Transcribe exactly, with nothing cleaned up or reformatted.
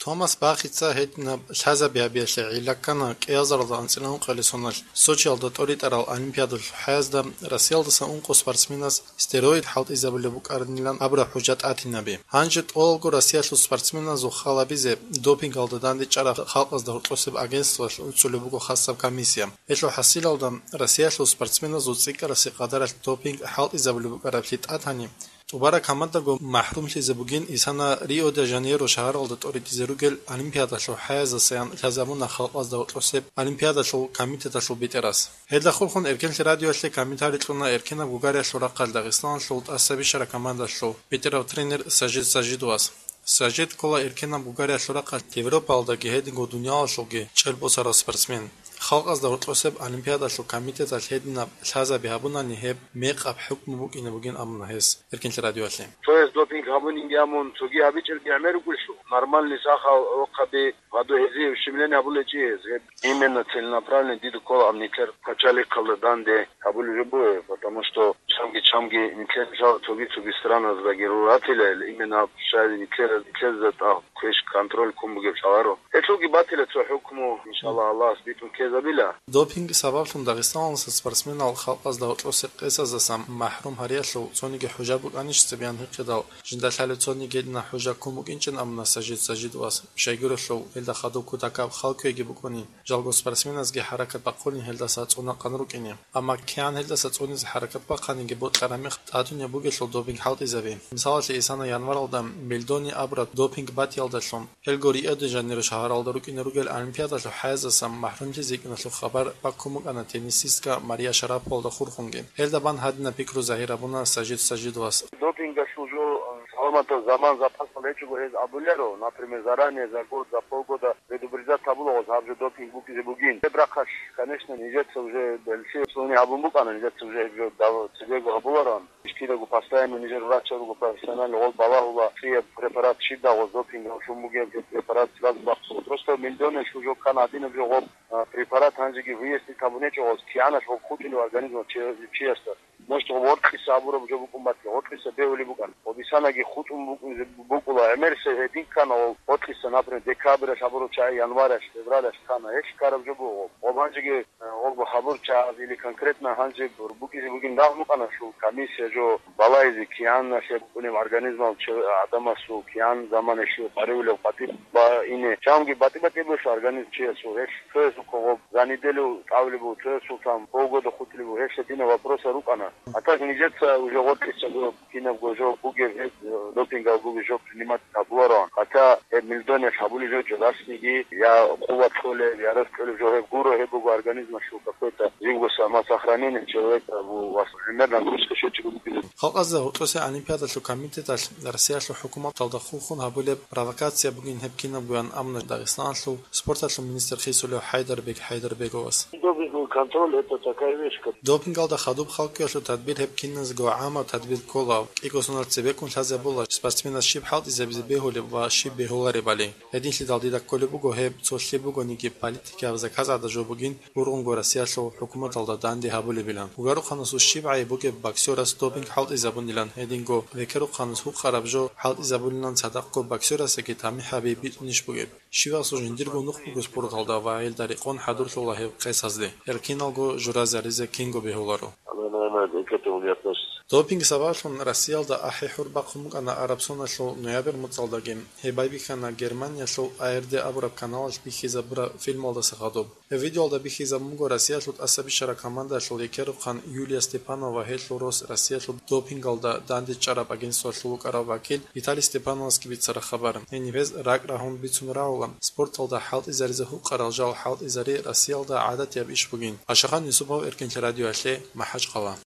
Мамас Бахица гьединаб лъазаби гьабиялъе гӀилла ккана кӀиазаралда анцӀила ункъоялде соналъ Сочиялда тӀоритӀарал Олимпиадалъул хӀаязда Россиялдаса ункъо спортсменас стероид хӀалтӀизабулеб букӀарабилан абураб хӀужа тӀатинаби. Гьанже тӀолалго Россиялъул спортсменазул хал гьабизе допингалда дандечӀараб халкъазда гьоркьосеб агентствоялъ уцулеб буго хасаб комиссия. Гьелъул хӀасилалда Россиялъул спортсменазул цӀикӀкӀарасе къадаралъ допинг хӀалтӀизабулеб букӀараблъи тӀатани, тӀубараб командаго махӀрумлъизе бугин исана Рио-де-Жанейро шагьаралда тӀоритӀизе ругел Олимпиадалъул хӀаяздасаян лъазабуна халкъазда гьоркьосеб Олимпиадалъул комитеталъул бетӀерас. Гьелда хурхун Эркенлъи радиоялъе комментарий кьуна эркенаб гугариялъул рахъалъ Дагъистаналъул тӀаса бищараб командалъул бетӀерав тренер Сажид Сажидовас. Сажид ккола эркенаб гугариялъул рахъалъ Европаялдаги гьединго дуниялалъулги чӀел босарав спортсмен. Халкъазда гьоркьосеб Олимпиадалъул комитеталъ гьединаб лъазаби гьабунани гьеб мекъаб хӀукму букӀине бугин абуна гьес Эркенлъи радиоялъе. Цояс допинг гьабунинги абун, цоги гьабичӀелги гӀемер рукӀунлъу. Нормальный сахал рохъаби гьаду гьезие ущемление гьабулечӀи гьез. Гьеб именно целенаправленно дида ккола аб нилъер пачалихъалда данде гьабулеб жо бугеб, потому что чамги-чамги нилъер жал цоги-цоги страназдаги руратила, именно аб щай нилъер, нилъезда тӀад квеш контроль ккун бугеб лъаларо. Гьелъулги батила цо хӀукму, иншаллагь, Аллагьас битӀун ккезабила. Допинг сабаблъун Дагъистаналдаса спортсменал халкъазда гьоркьосе къесаздасан махӀрум гьариялъул цониги хӀужа букӀанищ цебеян гьикъидал, жинда лъалеб цониги гьединаб хӀужа ккун букӀинчӀин абуна Сажид Сажидовас, щайгурелъул гьелда хадуб кутакаб хал кквеги букӀунин, жалго спортсменазги хӀаракат бахъулин гьелдаса цӀунахъан рукӀине. Амма кигӀан гьелдаса цӀунизе хӀаракат бахъаниги бокьараб мехалъ тӀатунеб бугелъул допинг хӀалтӀизаби. Мисалалъе, исана январалда Мельдони абураб допинг батиялдалъун, гьелго Рио-де-Жанейро шагьаралда рукӀине ругел Олимпиадалъул хӀаяздасан махӀрумлъизе йикӀиналъул хабар баккун букӀана теннисистка Мария Шараповалда хурхунги. Гьелда бан гьадинаб пикру загьир гьабуна Сажид Сажидовас. Допингалъул жо, саламатаб заман запасалда гьечӀого гьез абуларо, например, заранее, за год, за полгода предупреждать гьабулаго гьаб жо допинг букӀизе бугин. Гьеб рахъалъ, конечно, нижеца уже белъи цӀуни гьабун букӀана, нижеца уже гьеб жо дав-, цебего гьабулароан. Кидаго постоянно нижер врачал руго профессионально гъол балагьула, цӀияб препарат щиб дагъо допинг гьавлъун бугеб, гьеб препарат сразу бахъула. Просто Мельдони лъужо ккана гьадинаб жо гъоб, а, препарат гьанжеги выяснить гьабунечӀо гъоз, кигӀаналъ гъоб хутӀулев организм чи-, чиясда. Может, гъоб гъоркьиса абураб жо букӀун батила, гъоркьиса бегьулеб букӀан. Гъоб исанаги хутӀун букӀун-, букӀула, гӀемерисеб гьедин ккана гъол гъоркьиса, например, декабралъ абурав чагӀи январалъ, февралалъ ккана, гьелъ ккараб жо буго гъоб. Гъоб гьанжеги Гъоргу гьабурчагӀаз или конкретно гьанже бур-, букӀизе бугин дагь букӀана, щул комиссия жо балайзе кигӀан нахе букӀунеб организмал чи-, гӀадамасул кигӀан заманалъе къарулев къватӀиб ба ине. Чамги батӀи-батӀи бугелъул организм чиясул гьелъ, цоясухъа гъоб за неделю тӀавулеб буго, цоясул там полгода хутӀулеб буго, гьелъ гьединаб вопросал рукӀана. А так нижеца уже гъоркьиса гъоб Кинабго жо бугеб гьеб, э, допингал бугеб жо принимать гьабулароан. Хотя гьеб Мельдониялъ гьабулеб жо жо дасниги, я къуват кьолеб, я рес кьолеб жо гьеб гуро, гьеб буго организмалъул какой-то живго самосохранение человека, абу, вас, примерно, нагрузка щвечӀого бугеб. Халкъазда гьоркьосе Олимпиадалъул комитеталъ Россиялъул хӀукуматалда хурхун гьабулеб провокация бугин гьеб кинабгоян абуна Дагъистаналъул спорталъул министр хисулев ХӀайдарбек ХӀайдарбеговас. Допинговый контроль — это такая вещь, как... Допингалда хадуб халкъиялъул тадбир гьеб киназго гӀамаб тадбир ккола, кӀиго соналъ цебеккун лъазабула спортсменас щиб хӀалтӀизабизе бегьулеб ва щиб бегьуларебали. Гьединлъидал дида кколеб буго гьеб цо лъеб бугониги политикаб заказ гӀадаб жо бугин, бургъунго Россиялъул хӀукуматалда данде гьабулебилан. Гугарухъанасул щиб гӀайиб бугеб боксерас допинг хӀалтӀизабунилан, гьединго векерухъанас гьукъараб жо хӀалтӀизабунилан цадахъго боксерасдаги тамихӀаби битӀунищ бугеб? Щивасул жиндирго нух буго спорталда ва гьелда рекъон хӀадурлъула гьеб къесазде. Гьел киналго журазе гьаризе кинго бегьуларо. Она, наверное, к этому не относится. Допинг сабаблъун Россиялда ахӀи-хӀур бахъун букӀана араб соналъул ноябрь муцӀалдаги. Гьеб байбихьана Германиялъул А Р Д абураб каналалъ бихьизабураб фильмалдаса хадуб. Гьеб видеоялда бихьизабун буго Россиялъул тӀаса бищараб командаялъул рекерухъан Юлия Степанова ва гьелъул рос Россиялъул допингалда дандечӀараб агентствоялъул вукӀарав вакил Виталий Степановасги бицараб хабар. Гьениб гьез ракӀ рагьун бицун рагӀула, спорталда хӀалтӀизаризе гьукъарал жал хӀалтӀизари Россиялда гӀадатияб иш бугин. Ашахан Юсупов, Эркенлъи радиоялъе, МахӀачхъала.